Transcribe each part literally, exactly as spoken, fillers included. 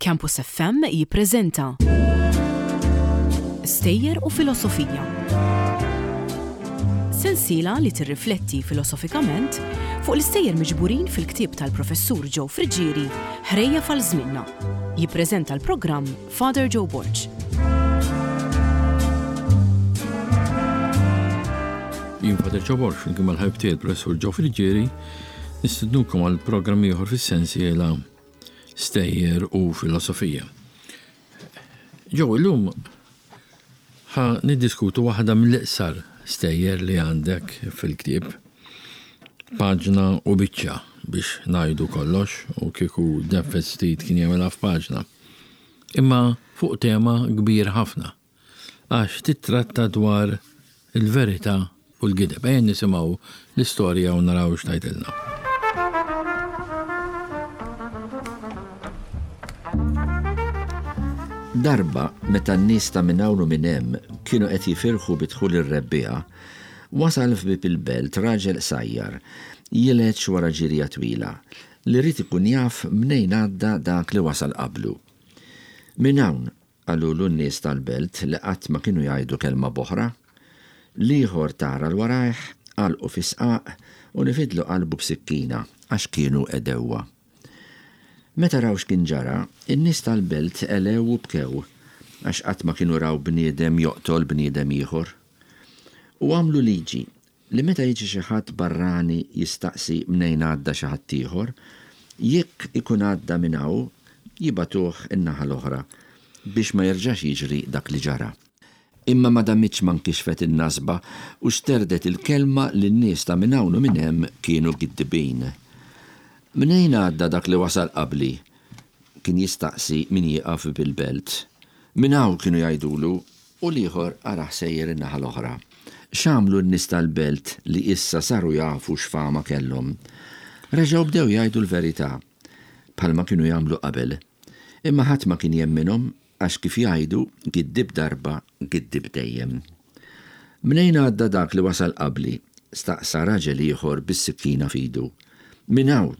Campus F M jippreżenta Stejjer u Filosofija. Sensiela li tirrifletti filosofikament fuq l-istejjer miġburin fil-ktieb tal-Professur Joe Friggieri, Ħrejjef għal Żmienna. Jippreżenta l-programm Father Joe Borg. Jien Father Joe Borg, flimkien mal-ħabib tiegħi l-Professur Joe Friggieri, nistednukom għal programm ieħor fis-sensiela Stejjer u Filosofija. Joe, illum ħa niddiskutu waħda mill-iqsar stejjer li għandek fil-ktieb. Paġna u biċċa biex ngħidu kollox, u kieku neffes ftit kien jagħmilha f'paġna. Imma fuq tema kbir ħafna, għax titratta dwar il-verità u l-gideb. Ejja nisimgħu l-istorja u naraw x'tgħidilna. Darba, meta n-nies ta' minn hawn u minn hemm kienu qed jifirħu bi dħul ir-rebbiegħa, wasal f'bieb il-belt raġel qsajjar, jileġ wara ġirja twila, li ried ikun jaf mnejn għadda dak li wasal qablu. Minn hawn, qalulu n-nies tal-belt li qatt ma kienu jgħidu kelma b'oħra, l-ieħor tara l warajh, għalqu fi sqaq u nifidlu qalbu b'sikkina għax kienu għedewwa. Meta raw x'kien ġara, in-nies tal-belt elew u bkew, għax qatt ma kienu raw bniedem joqtol bniedem ieħor. U għamlu liġi li meta jiġi xi ħadd barrani jistaqsi mnejn għadda xi ħadd ieħor, jekk ikun għadda minn hawn, jibatuh in-naħa l-oħra biex ma jerġax jiġri dak li ġara. Imma ma damitx ma nkixfet in-nasba u xterdet il-kelma li n-nies ta' minn hawn u minn hemm kienu giddibin. Mnejn għadda dak li wasal qabli? Kien jistaqsi min jieqaf bil-belt. Minn hawn kienu jgħidulu u l-ieħor araħ sejjer in-naħa l-oħra. X'għamlu n-nies tal-belt li issa saru jafu x'fama kellhom? Reġgħu bdew jgħidu l-verità, bħalma kienu jagħmlu qabel. Imma ħadd ma kien jemminhom għax kif jgħidu giddib darba, giddib dejjem. Mnejn għadda dak li wasal qabli? Staqsa raġel ieħor bis-sikkina f'idu. Minn hawn,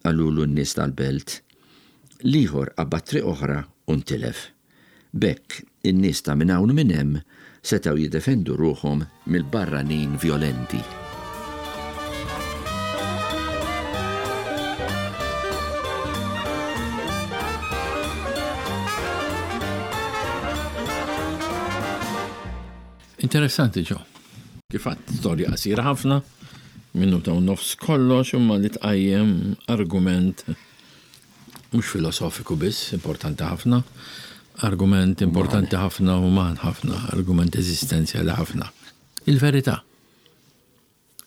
qalulu n-nies tal-belt. L-ieħor qabad triq oħra u ntilef. B'hekk, in-nies ta' minn hawn u minn hemm setgħu jiddefendu ruħhom mill-barranin violenti. Interessanti, Joe. Kif għadt, storja qasira ħafna, minuta u nofs kollox, imma li tqajjem argument mhux filosofiku biss, importanti ħafna, argument importanti ħafna, uman ħafna, argument eżistenzjali ħafna. Il-verità.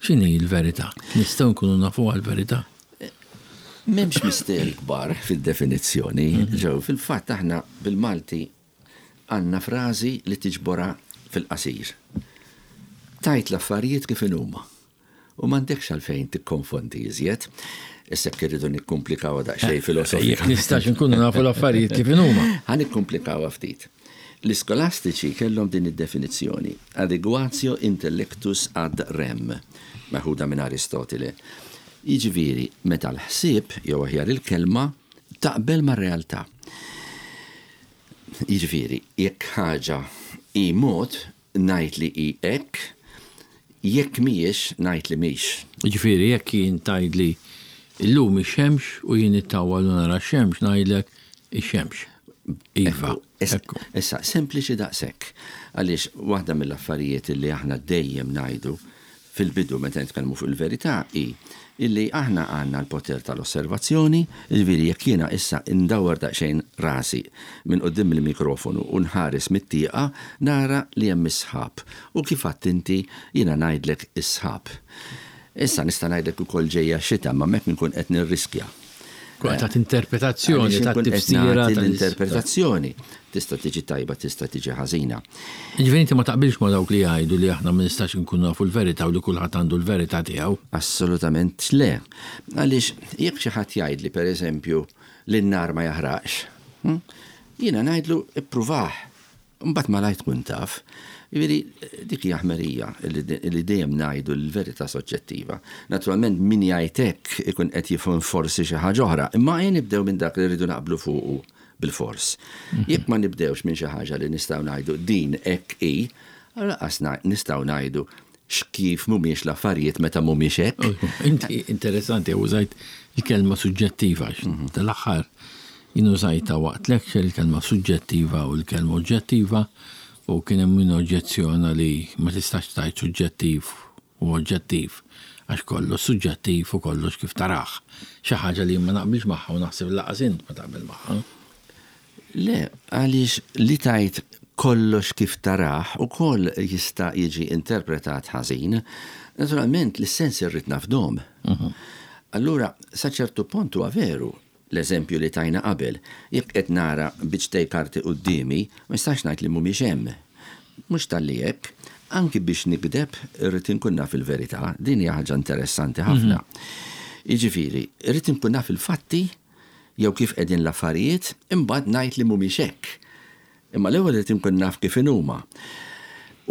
X'inhi l-verità? Nistgħu nkunu nafu għall-verità? M'hemmx misteri kbar fid-definizzjoni, Mhm. Joe. Fil-fatt aħna bil-Malti għandna frażi li tiġbora fil-qasir. Tajt l-affarijiet kif inhuma. U m'għandekx għalfejn tikkonfondi iżjed. Issa jekk irridu nikkumplikawha daqsxejn Eh, filosofika. Jekk nistax nkunu nafu l-affarijiet kif inhuma. Ħa nikkumplikawha ftit. L-iskolastiċi kellhom din id-definizzjoni, adequatio intellectus ad rem, meħuda minn Aristotele. Jiġifieri, meta l-ħsieb jew aħjar il-kelma taqbel mar-realtà. Jiġifieri, jekk ħaġa hi mod, ngħid li hi hekk, jekk mhijiex, ngħid li mhix. Jiġifieri, jekk jien tgħidli illum ix-xemx u jien nittawwal u nara x-xemx, ngħidlek ix-xemx. Iva, Ekku, issa, ekku. Issa, sempliċi daqshekk. Għaliex waħda mill-affarijiet li aħna dejjem ngħidu fil-bidu meta nitkellmu fuq il-verità hi illi aħna għandna l-poter tal-osservazzjoni, jiġifieri jekk jiena issa ndawwar daqsxejn rasi minn quddiem il-mikrofonu u nħares mit-tieqa, nara li hemm is-sħab. U kif għedt inti jiena ngħidlek is-sħab. Issa nista' ngħidlek ukoll ġejja xita, ma hemmhekk nkun qed nirriskja. Kwa ta' interpretazzjoni, Għaliex ta' inkun qed tifsira nagħti tal- l-interpretazzjoni. Tista' tiġi tajba, tista' tiġi ħażina. Jiġifieri inti ma taqbilx ma' dawk li jgħidu li aħna ma nistax nkunu nafu l-verità u li kulħadd għandu l-verità tiegħu? Assolutament le. Għaliex jekk xi ħadd jgħidli pereżempju li n-nar ma jaħraqx, hm? Jiena ngħidlu ippruvah. Mbagħad malajr tkun taf. Jiġifieri dik hija ħmerija li de-, li dejjem ngħidu l-verità soġġettiva. Naturalment min jgħid hekk ikun qed jifhem forsi xi ħaġa oħra, imma ejja nibdew minn dak li rridu naqblu fuqu. bil-fors. Jekk ma nibdewx minn xi ħaġa li nistgħu ngħidu din hekk hi, lanqas nistgħu ngħidu x'kif mhumiex l-affarijiet meta mhumiex hekk. Inti interessanti, użajt il-kelma suġġettiva, tal-aħħar jien użajtha waqt lecture il-kelma suġġettiva u l-kelma oġġettiva, u kien hemm min oġġezzjona li ma tistax tgħid suġġettiv u oġġettiv għax kollox suġġettiv u kollox kif tarah. Xi ħaġa li ma naqbilx magħha u naħseb lanqas int ma taqbel magħha. Le, għaliex li tgħid kollox kif tarah ukoll jista' jiġi interpretat ħażin. Naturalment, l-sens irrid nafdahom. Allura, sa ċertu punt huwa veru l-eżempju li tajna qabel. Jekk qed nara biċċtejn karti quddiemi, ma nistax ngħid li mhumiex hemm. Mhux talli hekk, anki biex nikdeb irrid inkun naf il-verità, din hija ħaġa interessanti ħafna. Jiġifieri, irrid inkun naf il-fatti jew kif qegħdin l-affarijiet, imbagħad ngħid li mhumiex hekk. Imma l-ewwel irid inkun naf kif inhuma.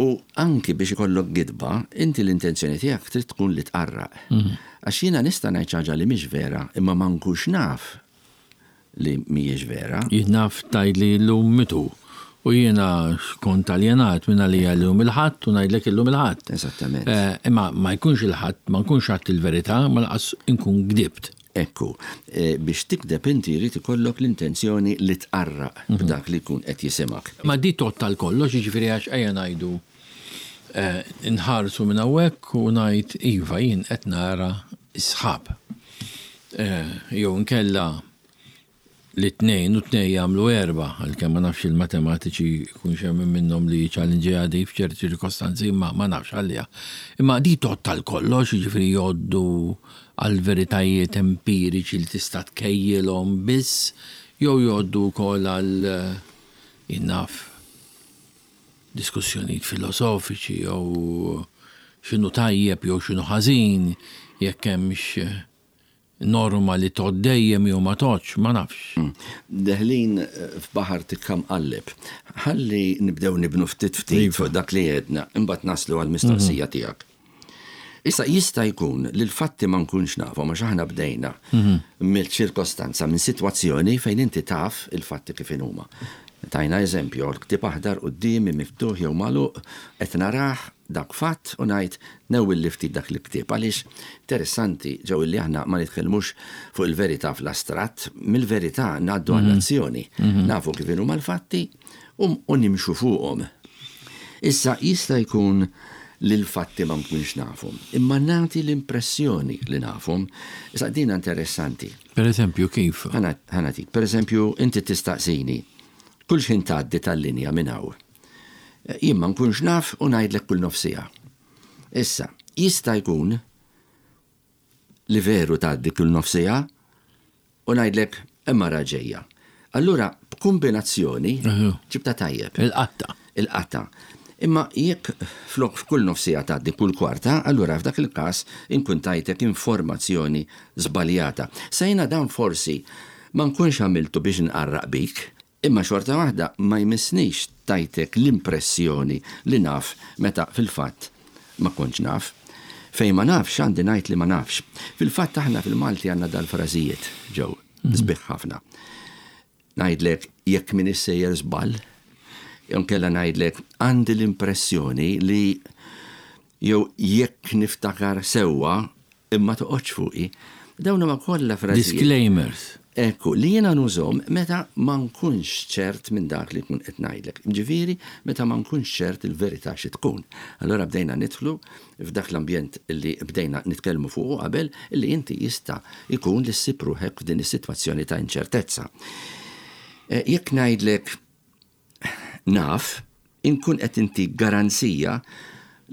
U anki biex ikollok gidba, inti l-intenzjoni tiegħek trid tkun li tqarraq. Għax jiena nista' ngħid xi ħaġa li mhix vera, imma ma nkunx naf li mhijiex vera. Jien naf tgħidli llum mitu u jiena kont aljenat minn għalija llum il-Ħadd u ngħidlek illum il-Ħadd. Eżattament. Eh, Imma ma jkunx il-Ħadd, ma nkunx għedt il-verità, ma lanqas inkun gdibt. Ekku, eh, biex tikdeb inti jrid ikollok l-intenzjoni li tqarraq b'dak li jkun qed jisimak. Ma di tgħodd għal kollox, jiġifieri għax ejja ngħidu eh, nħarsu minn hawnhekk u ngħid iva jien qed nara sħab. Eh, Jew nkella li tnejn u tnejn jagħmlu erba, għalkemm ma nafx il-matematiċi jkun hemm minnhom li challenge għadi f'ċerti ċirkostanzi, imma ma nafx għalija. Imma di tgħodd għal kollox, jiġifieri jgħoddu għal veritajiet empiriċi li tista' tkejjilhom biss, jew jgħoddu wkoll għal eh, jien naf diskussjonijiet filosofiċi jew x'inhu tajjeb jew x'inhu ħażin, jekk hemmx norma li tgħodd dejjem jew ma tgħoddx, ma nafx. Deħlin eh, f'baħar tikka mqalleb. Ħalli nibdew nibnu ftit ftit fuq dak li għedna, imbagħad naslu għall-mistoqsija tiegħek. Issa jista' jkun li l-fatti ma nkunx nafhom għax aħna bdejna mill-ċirkostanza, minn sitwazzjoni fejn inti taf il-fatti kif huma. Tajna eżempju, l-ktieb aħdar quddiemi miftuħ jew magħluq, qed narah dak fatt u ngħid newwilli ftit dak il-ktieb. Għaliex interessanti ġew li aħna ma nitkellmux fuq il-verità fl-astratt, mill-verità ngħaddu għall-azzjoni. Nafu kif huma l-fatti u u nimxu fuqhom. Issa jista' jkun li l-fatti ma nkunx nafhom, imma nagħti l-impressjoni li nafhom. Issa din interessanti. Per eżempju, kif? Ħa nagħtik, per eżempju, inti tistaqsini, kull x'ħin tgħaddi tal-linja minn hawn. Jien ma nkunx naf u ngħidlek kull nofs siegħa. Issa, jista' jkun li veru tgħaddi kull nofs siegħa u ngħidlek imma raġejja. Allura, b'kombinazzjoni ġibta tajjeb. Il-qatta. Il-qatta. Imma jekk flok f'kull nofs siegħa tgħaddi kull kwarta, allura f'dak il-każ inkun tajtek informazzjoni żbaljata. Sejna dan forsi ma nkunx għamiltu biex nqarraq bik, imma xorta waħda ma jmissnix tajtek l-impressjoni li naf meta fil-fatt ma kontx naf. Fejn ma nafx għandi ngħid li ma nafx. Fil-fatt aħna fil-Malti għandna dal-frażijiet ġew, sbieħ ħafna. Ngħidlek jekk min issejjer żball, jew kella ngħidlek għandi l-impressjoni li jew jekk niftakar sewwa imma toqgħodx fuqi. Dawn huma kollha frażijiet. Disclaimers. Ekku, li jiena nużahom meta ma nkunx ċert minn dak li tkun qed ngħidlek. Ġifieri, meta ma nkunx ċert il-verità xi tkun. Allora bdejna nidħlu f'dak l-ambjent li bdejna nitkellmu fuqu qabel li inti jista' jkun li ssib ruħek f'din is-sitwazzjoni ta' inċertezza. Eh, Jekk ngħidlek naf, inkun qed inti garanzija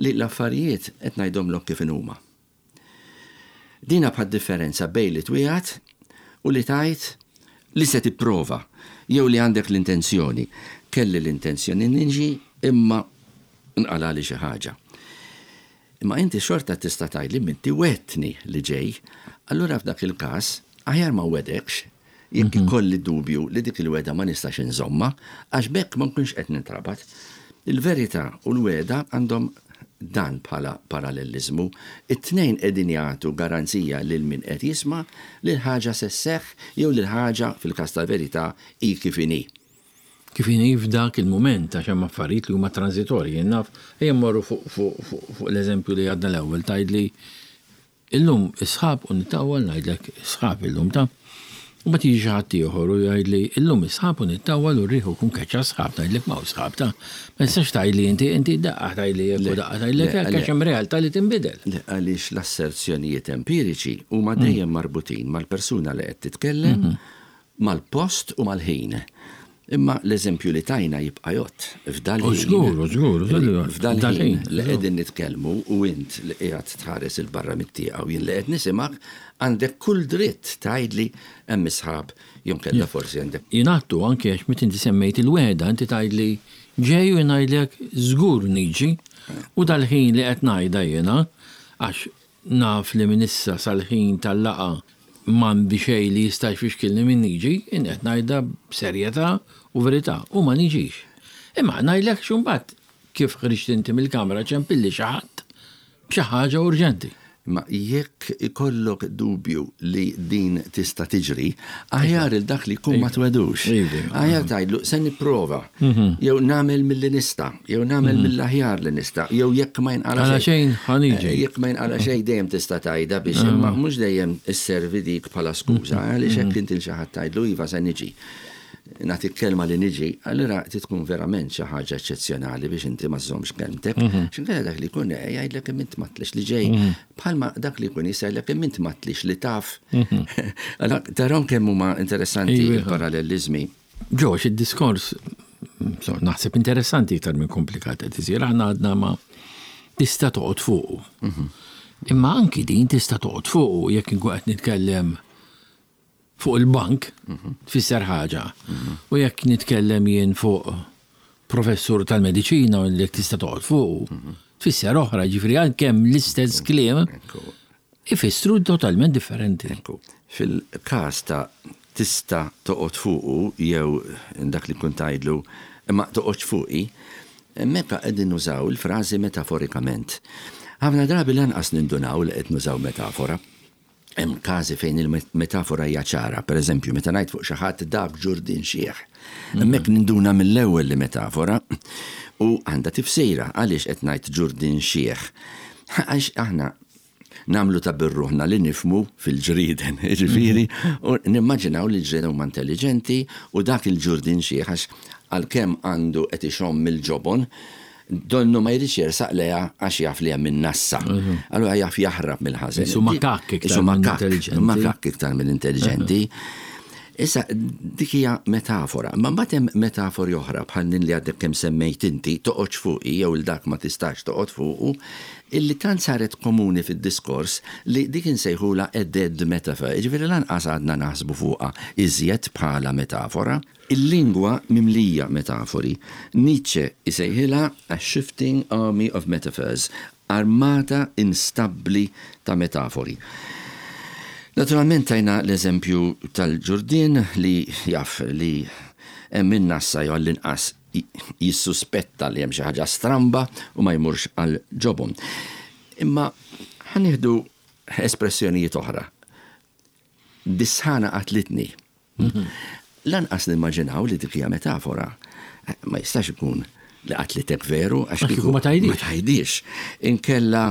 li l-affarijiet qed ngħidhomlok kif inhuma. Dina bħad differenza bejn li twiegħed u li tgħid li se tipprova jew li għandek l-intenzjoni. Kelli l-intenzjoni niġi imma nqalali xi ħaġa. Imma inti xorta tista' tgħid li inti wegħedtni li ġej, allura f'dak il-każ aħjar ma nwegħdekx jekk ikolli dubju li dik il-wegħda ma nistax inżomma, għax b'hekk ma nkunx qed nintrabat. Il-verità u l-wegħda għandhom dan bħala paralleliżmu. It-tnejn qegħdin jagħtu garanzija lil min qed jisma' li l-ħaġa se sseħħ jew li l-ħaġa fil-każ tal-verità hi kif inhi. Kif inhi f'dak il-mument, għax hemm affarijiet li huma transitorji. Jien naf, ejja mmorru fuq l-eżempju li għadna l-ewwel, tgħidli illum is-sħab u nittawwal, ngħidlek sħab illum ta'. U ma tiġi xi ħadd ieħor u jgħidli illum is-sħab u nittawwal u rriħu kun keċċa sħab, ngħidlek ma sħab ta'. Ma tistax tgħidli inti inti daqqa tgħidli hekk u daqqa tgħidlek hekk għax hemm realtà li tinbidel. Le, għaliex l-asserzjonijiet empiriċi huma dejjem marbutin mal-persuna li qed titkellem, mal-post u mal-ħin. Imma l-eżempju li tajna jibqa' jgħodd f'dal-ħin. Żgur, żgur, F'dal-ħin li qegħdin nitkellmu u int li qiegħed tħares 'il barra mit-tieqa u jien li qed nisimgħek, għandek kull dritt tgħidli hemm isħab jew kellha forsi għandek. Jingħattu anke għax meta inti semmejt il-wegħda, inti tgħidli ġej u ngħidlek żgur niġi, u dal-ħin li qed ngħidha jiena għax naf li minn issa sal-ħin tal-laqgħa m'għandi xejn li jista' jfixkilni minn niġi, jien qed ngħidha b'serjetà u verità u ma niġix. Imma ngħidlek x'mbagħad kif ħriġt inti mill-kamra ċempilli xi ħadd b'xi ħaġa urġenti. Ma jekk ikollok dubju li din tista' tiġri, aħjar il dak li jkun ma twedux. Aħjar tgħidlu se nipprova, jew nagħmel milli nista', jew nagħmel mill-aħjar li nista', jew jekk ma jinqala xejn ħaniġi. Jekk ma jinqala xejn dejjem tista' tgħidha biex, imma mhux dejjem isservi dik bħala skuża, għaliex hekk inti xi ħadd tgħidlu iva se niġi. Nagħtik kelma li niġi, allura tkun verament xi ħaġa eċċezzjonali biex inti ma żżommx kelmtek. X'inkella dak li jkun jgħidlek kemm int matlix li ġej, bħalma dak li jkun jisajlek kemm int matlix li taf. Allora tarom kemm huma interessanti il-paralleliżmi. Ġox, id-diskors naħseb interessanti iktar minn komplikat qed isir, aħna għadna ma tista' toqgħod fuqu. Imma anki din tista' toqgħod fuqu jekk inkun qed nitkellem fuq il-bank, tfisser ħaġa. U jekk nitkellem jien fuq professur tal-mediċina u li tista' toqgħod fuq, tfisser oħra, ġifieri għalkemm l-istess kliem ifissru totalment differenti. Fil-każ ta' tista' toqgħod fuqu jew dak li kont tgħidlu imma toqgħodx fuqi, hemmhekk qegħdin nużaw il-frażi metaforikament. Ħafna drabi lanqas nindunaw li qed nużaw metafora. Hemm każi fejn il-metafora hija ċara, pereżempju meta ngħid fuq xi ħadd dak ġurdin xieħ. Hemmhekk ninduna mill-ewwel li metafora u għandha tifsira għaliex qed ngħid ġurdin xieħ. Għax aħna nagħmlu ta' birruħna li nifmu fil-ġrieden, jiġifieri, u nimmaġinaw li l-ġrieden huma intelligenti u dak il-ġurdin xieħ għax għalkemm għandu qed ixomm mill-ġobon, donnu ma jridx jersaq leha għax jaf li hemm in-nassa. Allura jaf jaħrab mill-ħażen. Isu makakk iktar minn intelligenti. Makakk iktar minn intelligenti. Issa dik hija metafora, ma mbagħad hemm metafori oħra bħal din li għadek kemm semmejt inti, toqgħodx fuqi jew il dak ma tistax toqgħod fuqu, illi tant saret komuni fid-diskors li dik insejħula a dead metaphor. Jiġifieri lanqas għadna naħsbu fuqha iżjed bħala metafora. Il-lingwa mimlija metafori. Nietzsche isejħilha a shifting army of metaphors, armata instabbli ta' metafori. Naturalment tajna l-eżempju tal-ġurdin li jaf li hemm in-nassa jew għall-inqas jissuspetta li hemm xi ħaġa stramba u ma jmurx għal ġobon. Imma ħa nieħdu espressjonijiet oħra. Dis-sħana qatlitni. Lanqas nimmaġinaw li dik hija metafora. Ma jistax ikun li qatlitek veru għax kieku ma tgħidix. Ma tgħidix. Inkella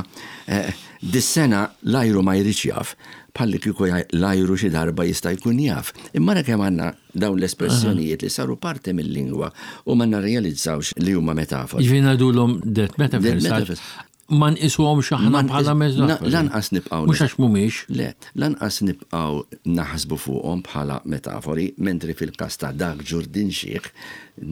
dis-sena l-ajru ma jridx jaf, bħalli kieku l-ajru xi darba jista' jkun jaf. Imma ra kemm għandna dawn l-espressjonijiet li saru parti mill-lingwa u ma narrealizzawx li huma metafori. Jiġifieri ngħidulhom dead metaphors. Dead metaphors. Ma nqisuhomx aħna bħala metafori. Lanqas nibqgħu. Mhux għax mhumiex. Le, lanqas nibqgħu naħsbu fuqhom bħala metafori, mentri fil-każ ta' dak ġurdin xieħ,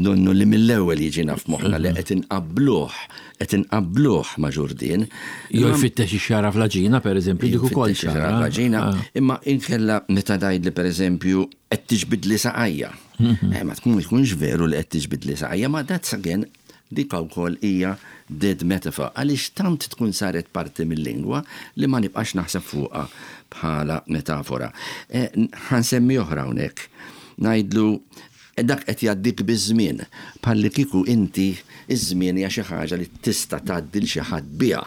nonnu li mill-ewwel jiġina f'moħħna li qed inqabbluh, qed inqabbluh ma' ġurdin. Jew jfittex ix-xara fl-aġina, pereżempju, dik ukoll xara fl-aġina, imma inkella meta tgħidli pereżempju qed tiġbidli saqajja. Ma tkun jkunx veru li qed tiġbidli saqajja, ma that's again dik wkoll hija dead metaphor, għaliex tant tkun saret parti mill-lingwa li ma nibqax naħseb fuqha bħala metafora. Ħansemmi oħra hawnhekk. Ngħidlu Dak qed jgħaddik biż-żmien, bħalli kieku inti iż-żmien hija xi ħaġa li tista' tgħaddi l xi ħadd biha.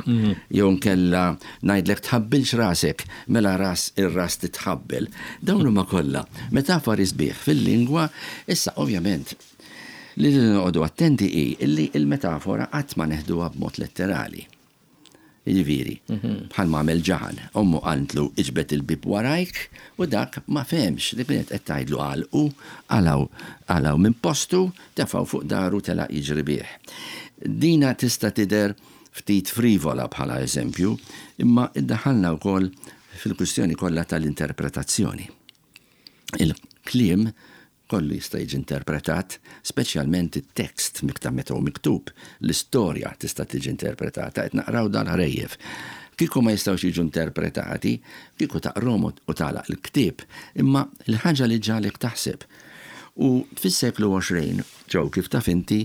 Jew nkella ngħidlek tħabbilx rasek, mela ras ir-ras titħabbel. Dawn huma kollha metafori sbieħ fil-lingwa, issa ovvjament li noqogħdu attenti hi illi il-metafora qatt ma neħduha b'mod letterali. Jiġifieri, bħal ma għamel Ġaħan, ommu qaltlu iġbed il-bib warajk u dak ma fehemx li kienet qed tgħidlu għalqu, qalgħu qalgħu minn postu, tefgħu fuq daru telaq jiġri bih. Dina tista' tidher ftit frivola bħala eżempju, imma iddaħħalna wkoll fil-kwistjoni kollha tal-interpretazzjoni. Il-kliem kollu jista' jiġi interpretat, speċjalment it-tekst mikta meta hu miktub, l-istorja tista' tiġi interpretata, qed naqraw dal-ħrejjef. Kieku ma jistgħux jiġu interpretati, kieku taqrom u tagħlaq il-ktieb, imma l-ħaġa li ġalek taħseb. U fis-seklu għoxrin, ġew kif taf inti,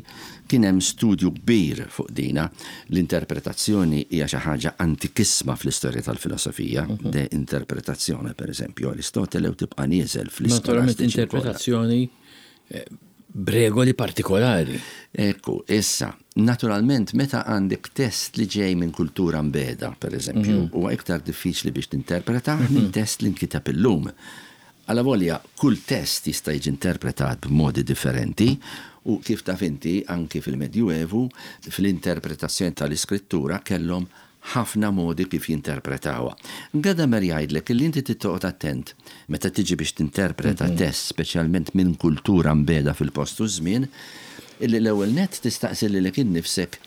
kien hemm studju kbir fuq dina. L-interpretazzjoni hija xi ħaġa antikissma fl-istorja tal-filosofija, de interpretazzjoni per eżempju, Aristotele u tibqa' nieżel Naturalment fl-iskolastiċi kollha. interpretazzjoni eh, b'regoli partikolari. Ekku, issa, naturalment, meta għandek test li ġej minn kultura mbeda, per eżempju, huwa iktar diffiċli biex tinterpreta minn test li nkiteb illum. Alla volja, kull test jista' jiġi interpretat b'modi differenti u kif taf inti anki fil-Medjuevu, fl-interpretazzjoni tal-iskrittura kellhom ħafna modi kif jinterpretawha. Gadamer jgħidlek li inti tittoqgħod attent meta tiġi biex tinterpreta test, speċjalment minn kultura mbeda fil-post u żmien, illi l-ewwel net tistaqsi lilek innifsek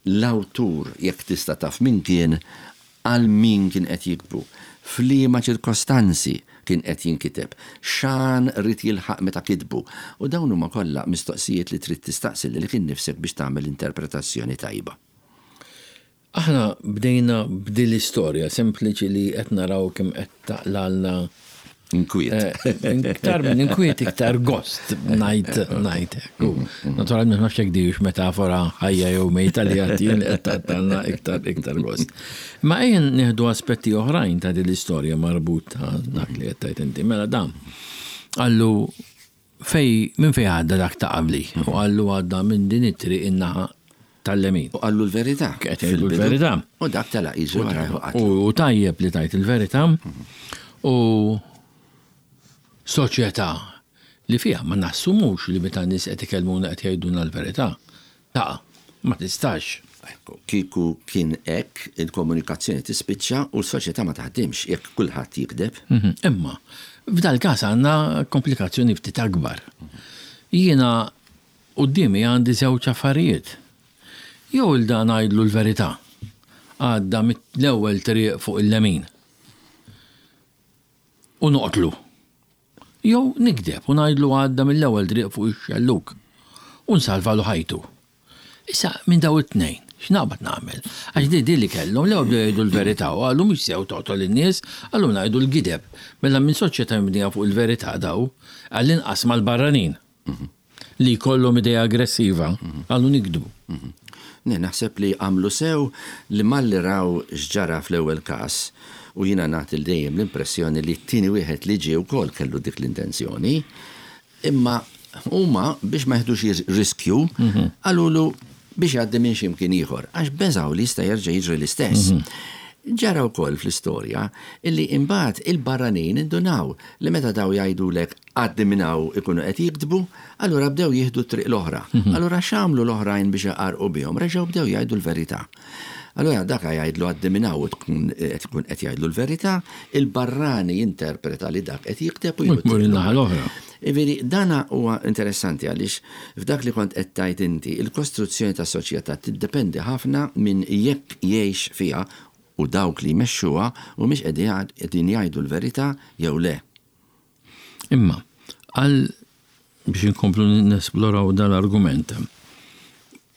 l-awtur jekk tista' taf min kien għal min kien qed jiktbu, f'liema ċirkostanzi kien qed jinkiteb, x'għan ried jilħaq meta kitbu. U dawn huma kollha mistoqsijiet li trid tistaqsi lilek innifsek biex tagħmel interpretazzjoni tajba. Aħna bdejna b'din l-istorja sempliċi li qed naraw kemm qed taqlalna Inkwiet. Eh, Iktar minn inkwiet, iktar gost, ngħid, ngħid. U naturalment ma nafx jekk dix metafora ħajja jew mejta li għatin qed taqtalna iktar iktar gost. Ma ejja nieħdu aspetti oħrajn ta' din l-istorja marbut ta' dak li qed tgħid inti. Mela dan qallu fej minn fej għadda dak ta' qabli u qallu għadda minn din it-triq in-naħa tal-lemin. U qallu l-verità. Qed jgħidu fil-bidu. l-verità. U dak telaq jiġri wara u qatlu. U tajjeb li tajt il-verità u soċjetà li fiha ma nassumux li meta nies qed ikellmuna qed jgħidulna l-verità. Ta' ma tistax. Ekku, kieku kien hekk il-komunikazzjoni tispiċċa u l-soċjetà ma taħdimx jekk kulħadd jikdeb. Mhm. Imma f'dal każ għandna komplikazzjoni ftit akbar. Jiena quddiemi għandi żewġ affarijiet. Jew il dan ngħidlu l-verità. Għadda mit-l-ewwel triq fuq il-lemin. U noqtlu. Jew nikdeb u ngħidlu għadda mill-ewwel triq fuq ix-xelluk u nsalvalu ħajtu. Issa minn daw it-tnejn, x'naqbad nagħmel? Għax di di li kellhom l-ewwel bdew jgħidu l-verità u qalu mhux sew toqtol in-nies, qalu ngħidu l-gideb. Mela minn soċjetà mibnija fuq il-verità daw, għall-inqas mal-barranin li jkollhom idea aggressiva, qalu nikdbu. Ne, naħseb li għamlu sew li malli raw x'ġara fl-ewwel każ u jiena nagħti dejjem l-impressjoni li t-tieni wieħed li ġie wkoll kellu dik l-intenzjoni, imma huma biex ma jeħdux riskju qalulu biex jgħaddi minn x'imkien ieħor, għax beżaw li jista' jerġa' jiġri l-istess. Ġara wkoll fl-istorja illi imbagħad il-barranin indunaw li meta daw jgħidulek għaddi minn hawn ikunu qed jiktbu, allura bdew jieħdu t-triq l-oħra. Allura x'għamlu l-oħrajn biex jaqarqu bihom, reġgħu bdew jgħidu l-verità. Allura dak jgħidlu għaddi minn hawn u tkun qed tkun qed jgħidlu l-verità, il-barrani jinterpreta li dak qed jikteb u U jieħu jmur t-triq in-naħa l-oħra. l-oħra. Iveri, dana huwa interessanti għaliex f'dak li kont qed tgħid inti, il-kostruzzjoni ta' soċjetà tiddependi ħafna minn jekk jgħix fiha u dawk li jmexxuha u mhix qegħdin jgħidu l-verità jew le. Imma, għal biex inkomplu nesploraw dan l-argument,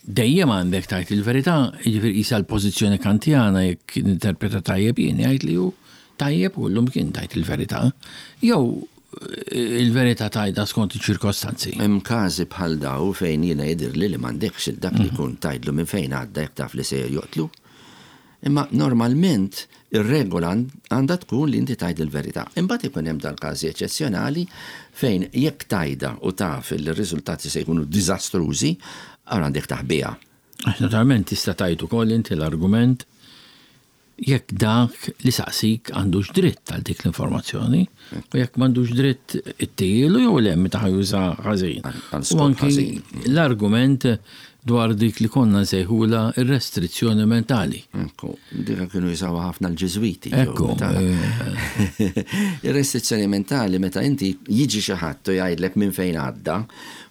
dejjem għandek tajt il-verità, jiġifieri qisha l-pożizzjoni kantjana jekk interpreta tajjeb jien jgħid li hu tajjeb u llum kien tajt il-verità, jew il-verità tajda skont iċ-ċirkostanzi. Hemm każi bħal daw fejn jiena jidhirli li m'għandekx il dak li jkun tgħidlu minn fejn għadda jekk taf li se joqtlu. Imma normalment ir-regola għandha tkun li inti tgħid il-verità. Imbagħad ikun hemm dal-każi eċċezzjonali fejn jekk tgħidha u taf li r-riżultati se jkunu diżastrużi, allura għandek taħbiha. Għax naturalment tista' tgħid ukoll inti l-argument jekk dak li saqsik għandux dritt għal dik l-informazzjoni u jekk m'għandux dritt ittihielu jew le meta ħa juża ħażin. Għal U skop anki ħażin. l-argument dwar dik li konna nsejħula ir-restrizzjoni mentali. Ekku, dika kienu jużawha ħafna l-Ġiżwiti. Ekku, Ir-restrizzjoni mentali meta inti jiġi xi ħadd u jgħidlek minn fejn għadda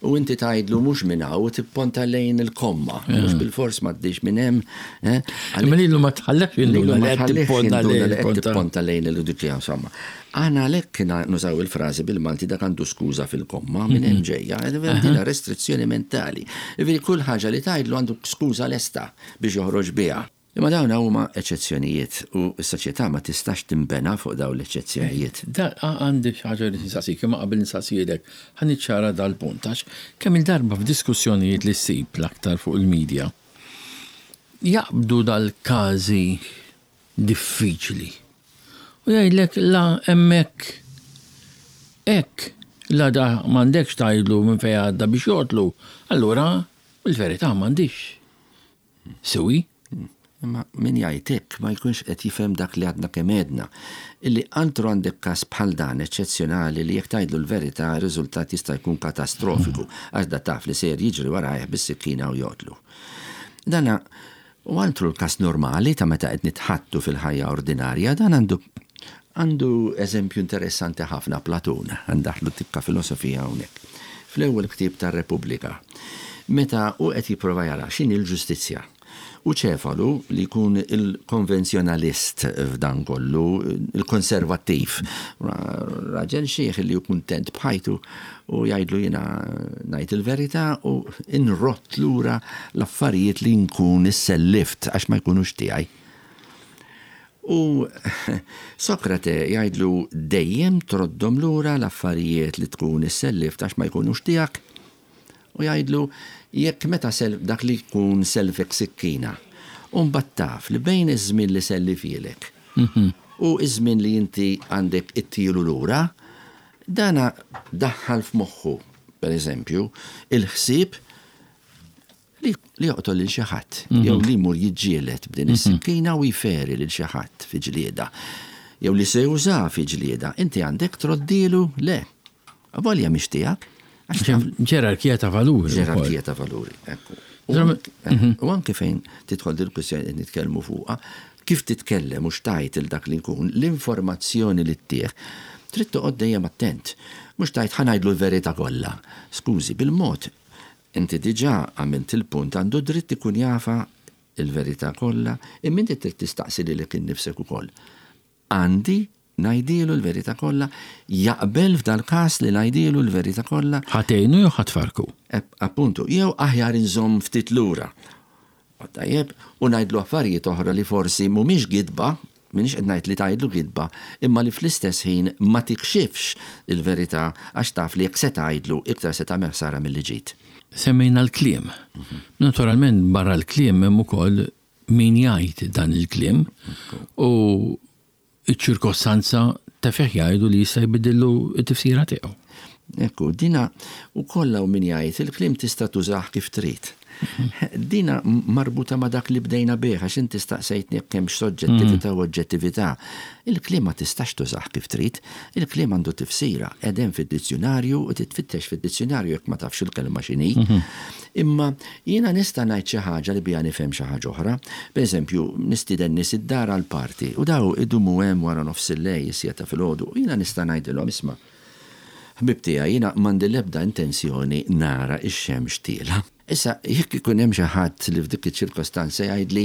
u inti tgħidlu mhux minn hawn u tipponta lejn il-komma, mhux bil-fors m'għaddix minn hemm. eh, Imma lilu ma tħallekx Lilu jinduna ma li qed tħallix tipponta jinduna lejn li qed il-konta. tipponta lejn il-dikja, insomma. Aħna għalhekk nużaw il-frażi bil-Malti dak għandu skuża fil-komma minn hemm ġejja, dina restrizzjoni mentali. Jiġifieri kull ħaġa li tgħidlu għandu skuża lesta biex joħroġ biha. Imma dawn huma eċċezzjonijiet u s-soċjetà ma tistax timbena fuq dawn l-eċċezzjonijiet. Da għandi xi ħaġa li nsaqsik, imma qabel nsaqsilek ħa niċċara dal-punt għax kemm il-darba f'diskussjonijiet li ssib l-aktar fuq il-medja jaqbdu dal-każi diffiċli. U jgħidlek la hemmhekk hekk la da m'għandekx tgħidlu minn fejn għadda biex joqtlu, allura il-verità m'għandix. Sewi? Imma min jgħid hekk ma jkunx qed jifhem dak li għadna kemm għedna. Illi altru għandek każ bħal dan eċċezzjonali li jekk tgħidlu l-verità r-riżultat jista' jkun katastrofiku għax da taf li ser jiġri warajh bis-sikkina u joqtlu. Dana u altru l-każ normali ta' meta qed nitħattu fil-ħajja ordinarja, dan għandu għandu eżempju interessanti ħafna Platun, għandaħlu tikka filosofija hawnhekk. Fl-ewwel ktieb tar-Repubblika, meta u qed jipprova jara x'inhi l-ġustizzja. U Ċefalu li jkun il-konvenzjonalist f'dan kollu, il-konservattiv, raġel xieħ li hu kuntent b'ħajtu u jgħidlu jiena ngħid il-verità u inrott lura l-affarijiet li nkun issellift għax ma jkunux tiegħi. U Sokrate jgħidlu dejjem troddhom lura l-affarijiet li tkun issellift għax ma jkunux tiegħek. U jgħidlu jekk meta sel dak li jkun selfek sikkina. U mbagħad taf li bejn iż-żmien li sellifhielek u iż-żmien li inti għandek ittilu lura, dana daħħal f'moħħu, per eżempju, il-ħsieb li, li joqtol lil xi ħadd, jew li jmur jiġġieled b'din is-sikkina u jferi lil xi ħadd fi ġlieda. Jew li se juża fi ġlieda, inti għandek troddilu le. Avolja mhix tiegħek. Għax taf Ġerarkija ta' valuri. ukoll. ġerarkija ta' valuri. Ekku. U Dram- anke- U anke fejn tidħol dil-kwistjoni qed nitkellmu fuqha, kif titkellem u x'tgħid il dak li jkun, l-informazzjoni li ttieħ, trid toqgħod dejjem attent. Mhux tgħid ħa ngħidlu l-verità kollha. Skużi, bil-mod, inti diġà għamilt il-punt għandu dritt ikun jafa il-verità kollha, imma inti trid tistaqsi lilek innifsek ukoll. Għandi ngħidilu l-verità kollha, jaqbel f'dal-każ li ngħidilu l-verità kollha, Ħa tgħinu jew ħa tfarrku. Ep- Appuntu, jew aħjar inżomm ftit lura. Tajjeb, u ngħidlu affarijiet oħra li forsi mhumiex gidba, m'iniex qed ngħid li tgħidlu gidba, imma li fl-istess ħin ma tikxifx il-verità għax taf li jekk se tgħidlu iktar se tagħmel ħsara milli ġid. Semmejna l-kliem. Naturalment barra l-kliem hemm ukoll min jgħid dan il-kliem u iċ-ċirkostanza ta' fih jgħidu li jista' jbidillu t-tifsira tiegħu. Ekku, dina u kollha u min jgħid il-kliem tista' tużah kif trid. Dina marbuta ma' dak li bdejna bih, għax inti staqsejtni jekk hemmx soġġettività u oġġettività. Il-kliem ma tistax tużah kif trid, il-kliem għandu tifsira, edem fid-dizzjonarju u titfittex fid-dizzjonarju jekk ma tafx il-kelma x'inhi. Imma jiena nista' ngħid xi ħaġa li biha nifhem xi ħaġa oħra. Pereżempju, nistieden nies id-dar għal party u daw idumu hemm wara nofs il-lejl is-siegħa ta' filgħodu u jiena nista' ngħidilhom isma' ħbib tiegħi jiena m'għandi l-ebda intenzjoni nara x-xemx tiela. Issa, jekk ikun hemm xi ħadd li f'dik iċ-ċirkostanza jgħidli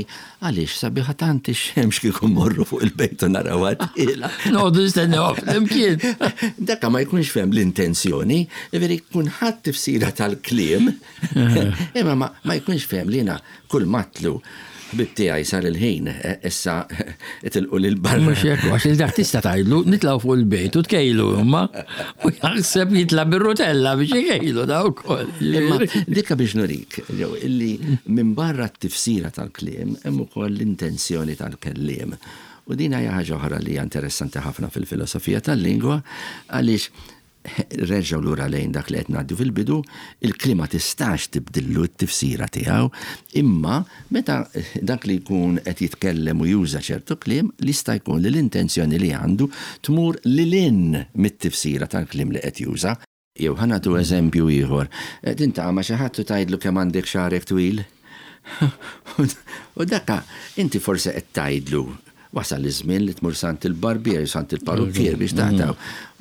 għaliex sabiħa tant ix-xemx kieku mmorru fuq il-bejt u narawha tiela. Noqogħdu nistennew flimkien. Dakka ma jkunx fehem l-intenzjoni, jiġifieri jkun ħadd tifsira tal-kliem, imma ma, ma jkunx fehem li jiena kull matlu Ħbib tiegħi sar il-ħin, eh, issa itilqu lil barra. Mhux hekk, għax il-dak tista' tgħidlu nitlgħu fuq il-bejt u tkejlu imma u jaħseb jitla' bir-rutella biex ikejlu daw ukoll. Imma dikka biex nurik, jew illi minn barra t-tifsira tal-kliem hemm ukoll l-intenzjoni tal-kelliem. U din hija ħaġa oħra li hija interessanti ħafna fil-filosofija tal-lingwa għaliex reġgħu lura lejn dak li qed ngħaddu fil-bidu, il-kliem ma tistax tibdillu t-tifsira tiegħu, imma meta dak li jkun qed jitkellem u juża ċertu kliem, li jista' jkun li l-intenzjoni li għandu tmur lil hinn mit-tifsira tal-kliem li qed juża. Jew ħa nagħtu eżempju ieħor. Tintaqa' ma' xi ħadd u tgħidlu kemm għandek xagħrek twil. U dakka inti forsi qed tgħidlu wasal iż-żmien li tmur sant il-barbier, sant il-parukkier biex taqtaw.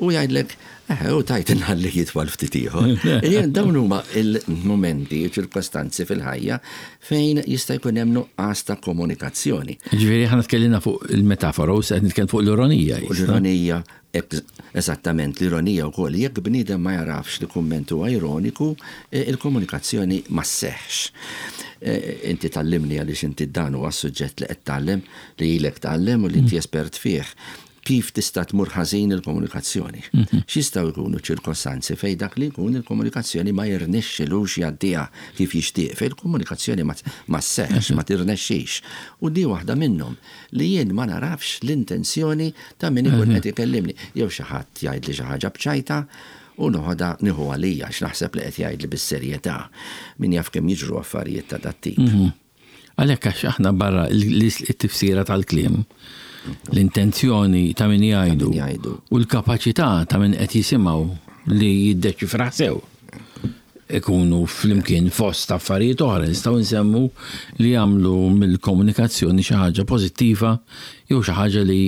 U jgħidlek, eh, u tajt inħalli jitwal ftit ieħor. Jien dawn huma il-momenti, ċirkostanzi fil-ħajja fejn jista' jkun hemm nuqqas ta' komunikazzjoni. Ġifieri aħna tkellimna fuq il-metafora u se nitkellem fuq l-ironija. U l-ironija, eżattament, l-ironija wkoll, jekk bniedem ma jarafx li kumment huwa ironiku, eh, il-komunikazzjoni ma sseħħx. Eh, inti tgħallimni għaliex inti dan huwa suġġett li qed tgħallem, li ilek tgħallem u li inti espert fih. Kif tista' tmur ħażin il-komunikazzjoni? X'jistgħu jkunu ċirkostanzi fejn dak li jkun il-komunikazzjoni ma jirnexxilux jgħaddiha kif jixtieq, fejn il-komunikazzjoni ma ma sseħħx, ma tirnexxix. U di waħda minnhom li jien ma narafx l-intenzjoni ta' min ikun qed ikellimni. Jew xi ħadd jgħidli xi ħaġa b'ċajta u noħodha nieħu għalija x'naħseb li qed jgħidli bis-serjetà. Min jaf kemm jiġru affarijiet ta' dat-tip. Għalhekk għax aħna barra il-tifsira tal-kliem, l-intenzjoni ta' min jgħidu jgħidu. u l-kapaċità ta' min qed jisimgħu li jiddeċifra sew ikunu flimkien fost affarijiet oħra nistgħu nsemmu li jagħmlu mill-komunikazzjoni xi ħaġa pożittiva jew xi ħaġa li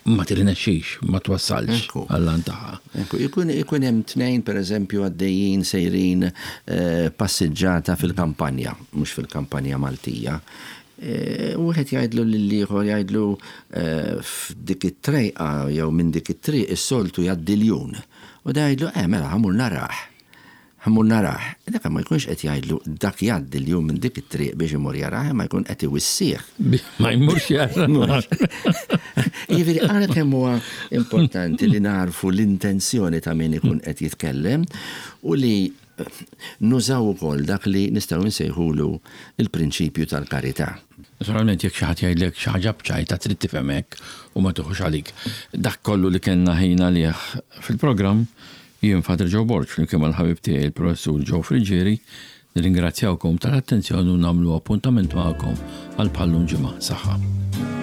ma tirnexxix, ma twassalx Ekku. għall-għan tagħha. Ekku, ikun, ikun hemm tnejn pereżempju għaddejjin sejrin eh, passiġġata fil-kampanja, mhux fil-kampanja Maltija. Eh, Wieħed jgħidlu lill-ieħor jgħidlu eh, f'dik it-trejqa jew minn dik it-triq is-soltu jgħaddi ljun. U da jgħidlu, eh mela ħa mmur narah. Ħa mmur narah. Dak ma jkunx qed jgħidlu dak jgħaddi ljun minn dik it-triq biex imur jarah, ma jkun qed iwissih. Ma jmurx jara. Jiġifieri, għara kemm huwa importanti li narfu l-intenzjoni ta' min ikun qed jitkellem u li nużaw ukoll dak li nistgħu nsejħulu il-prinċipju tal-karità. Naturalment jekk xi ħadd jgħidlek xi ħaġa b'ċajta trid tifhem hekk u ma tuħux għalik. Dak kollu li kellna ħin għalih fil-programm jien Father Joe Borg flimkien mal-ħabib tiegħi il-Professur Joe Friggieri nirringrazzjawkom tal-attenzjoni u nagħmlu appuntament magħkom għal bħal-lum ġimgħa. Saħħa.